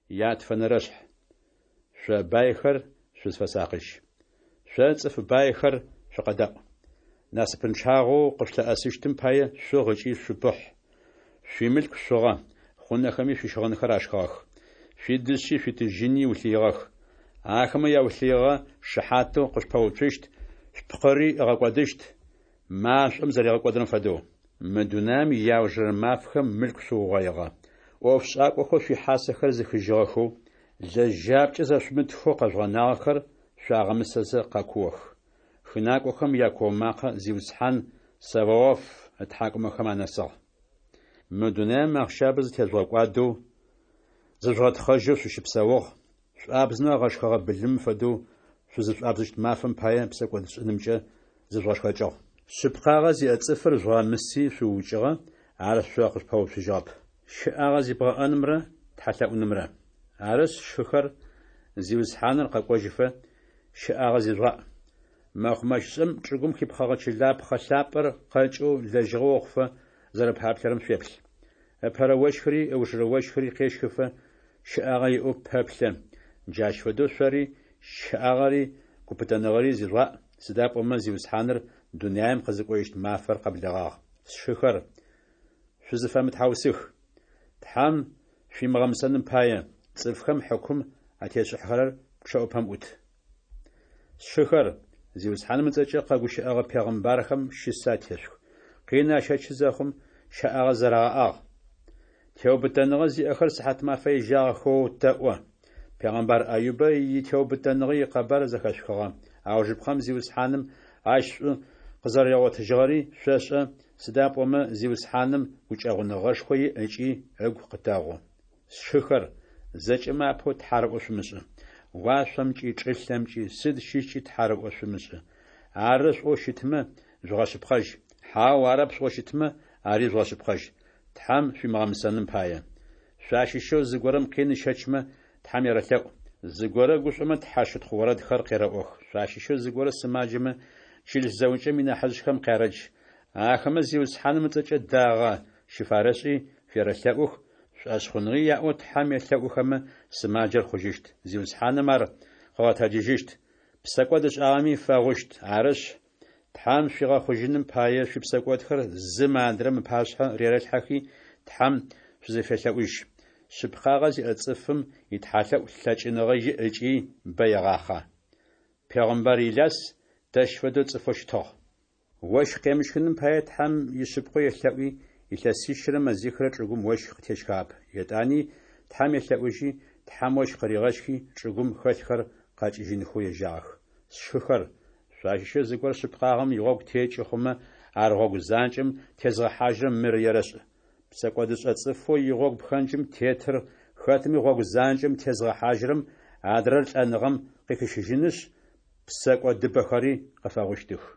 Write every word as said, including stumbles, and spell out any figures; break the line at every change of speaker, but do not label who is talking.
Ятфэнэрэшъхь. Шъо байхэр, шъузфэсакъыжь. Шъо цӏыф байхэр, шъукъэдаӏу! Насыпынчъагъэу къышъулъыӏэсыщтым пае шъугъ ыкӏи шъупыхь. Шъуимылъку шъугъэ, хъунэхэми шъуищыгъынхэр ашхыгъэх. Шъуидышъи шъуитыжьыни улъыигъэх. Ахэмэ яулъыигъэ шыхьатэу къышъупэуцущт, шъупкъыри ыгъэкӏодыщт, машӏом зэригъэкӏодырэм фэдэу. Мы дунаим иаужырэ мафэхэм мылъку шъуугъоигъэ. ӏофшӏакӏохэу шъуихьасэхэр зыхыжьыгъэхэу, лэжьапкӏэ зэшъумытхэу къэжъугъэнагъэхэр шъуагъэмысэзэ къэкуох. Хынакӏохэм якуо макъэ Зиусхьан Саваоф ытхьакӏумэхэм анэсыгъ. Мы дунаим ахъщабэ зытежъугъэкӏуадэу, зыжъугъэтхъэжьэу шъущыпсэугъ, шӏуабзымэ агъэшхэгъэ былымым фэдэу шъузышӏуабзыщт мафэм пае псэкӏодшӏэнымкӏэ зыжъугъэшхэкӏыгъ. Шъыпкъагъэ зиӏэ цӏыфыр жъугъэмыси шъуукӏыгъэ, ар шъо къышъупэуцужьыгъэп. Щыӏагъэ зибгъэӏэнымрэ тхьэлъэӏунымрэ. Арышъ, сшыхэр, Зиусхьаныр къэкӏожьыфэ, щыӏагъэ зижъугъаӏ. Мэкъумэщышӏэм чӏыгум хипхъэгъэ чылапхъэ лъапӏэр къэкӏэу лэжьыгъэ охъуфэ зэрэпаплъэрэм шъуеплъ. Ыпэрэ ощхыри ыужырэ ощхыри къещхыфэ щыӏагъэ иӏэу пэплъэ. Джащ фэдэу шъори щыӏагъэри гупытэныгъэри зижъугъаӏ, сыда пӏомэ Зиусхьаныр дунаим къызыкӏожьыщт мафэр къэблэгъагъ. Сшыхэр, шъузыфэмытхьаусых. Тхьэм шъуимыгъэмысэным пае, цӏыфхэм хьыкум атешӏыхьэрэр пчъэӏупэм ӏут. Сшыхэр, Зиусхьаным ыцӏэкӏэ къэгущыӏэгъэ пегъымбархэм щысэ атешъух. Къин ащэчы зэхъум, щэӏагъэ зэрагъэӏагъ. Теубытэныгъэ зиӏэхэр сыхьатмафэ ежьагъэхэу тэӏо. Пегъымбар Аюбэ итеубытэныгъэ икъэбар зэхэшъухыгъэ. Аужыпкъэм Зиусхьаным ащ шӏу къызэрэригъотыжьыгъэри шъошӏэ, сыда пӏомэ Зиусхьаным гукӏэгъуныгъэшхо иӏ ыкӏи ыгу къытэгъу. Сшыхэр, зэкӏэмэ апэу тхьарыӏо шъумышӏы. Уашъомкӏи, чӏылъэмкӏи, сыд щыщкӏи тхьарыӏо шъумышӏы. Ары шӏоу щытмэ, жъугъэшъыпкъэжь. Хьау, арэп шӏоу щытмэ, ари жъугъэшъыпкъэжь. Тхьэм шъуимыгъэмысэным пае. Шъуащыщэу зыгорэм къин ыщэчмэ, Тхьэм ерэлъэӏу. Зыгорэ гушӏомэ, тхьэщытхъу орэдхэр къерэӏох. Шъуащыщэу зыгорэ сымаджэмэ, чылыс зэӏукӏэм инахьыжъхэм къярэдж. Ахэмэ Зиусхьаным ыцӏэкӏэ дагъэ щыфарэшӏи, ферэлъэӏух, шӏошъхъуныгъи яӏэу Тхьэм елъэӏухэмэ, сымаджэр хъужьыщт, Зиусхьаным ар къыгъэтэджыжьыщт, псэкӏод ышӏагъэми фэгъущт. Арышъ, Тхьэм шъуигъэхъужьыным пае, шъуипсэкӏодхэр зым адрэм ыпашъхьэ рерэлъхьэхи, Тхьэм шъузэфелъэӏужь. Шъыпкъагъэ зиӏэ цӏыфым итхьалъэӏу лъэкӏыныгъэ иӏ ыкӏи бэ егъахъэ. Пегъымбар Иляс тэщ фэдэу цӏыфэу щытыгъ. Ощх къемыщхыным пае Тхьэм ишъыпкъэу елъэӏуи, илъэсищырэ мэзихырэ чӏыгум ощх къытещхыгъэп. Етӏани Тхьэм елъэӏужьи, Тхьэм ощх къыригъэщхи, чӏыгум хэлъхэр къэкӏыжьынхэу ежьагъэх. Сшыхэр, шъуащыщэу зыгорэ шъыпкъагъэм игъогу текӏы хъумэ, ар гъогу занкӏэм тезгъэхьажьырэм мыр ерэшӏ. Псэкӏодышӏэ цӏыфэу игъогу пхэнджым тетыр хэтми гъогу занкӏэм тезгъэхьажьырэм адрэр лӏэныгъэм къыхищыжьынышъ, псэкӏодыбэхэри къыфэгъущтых.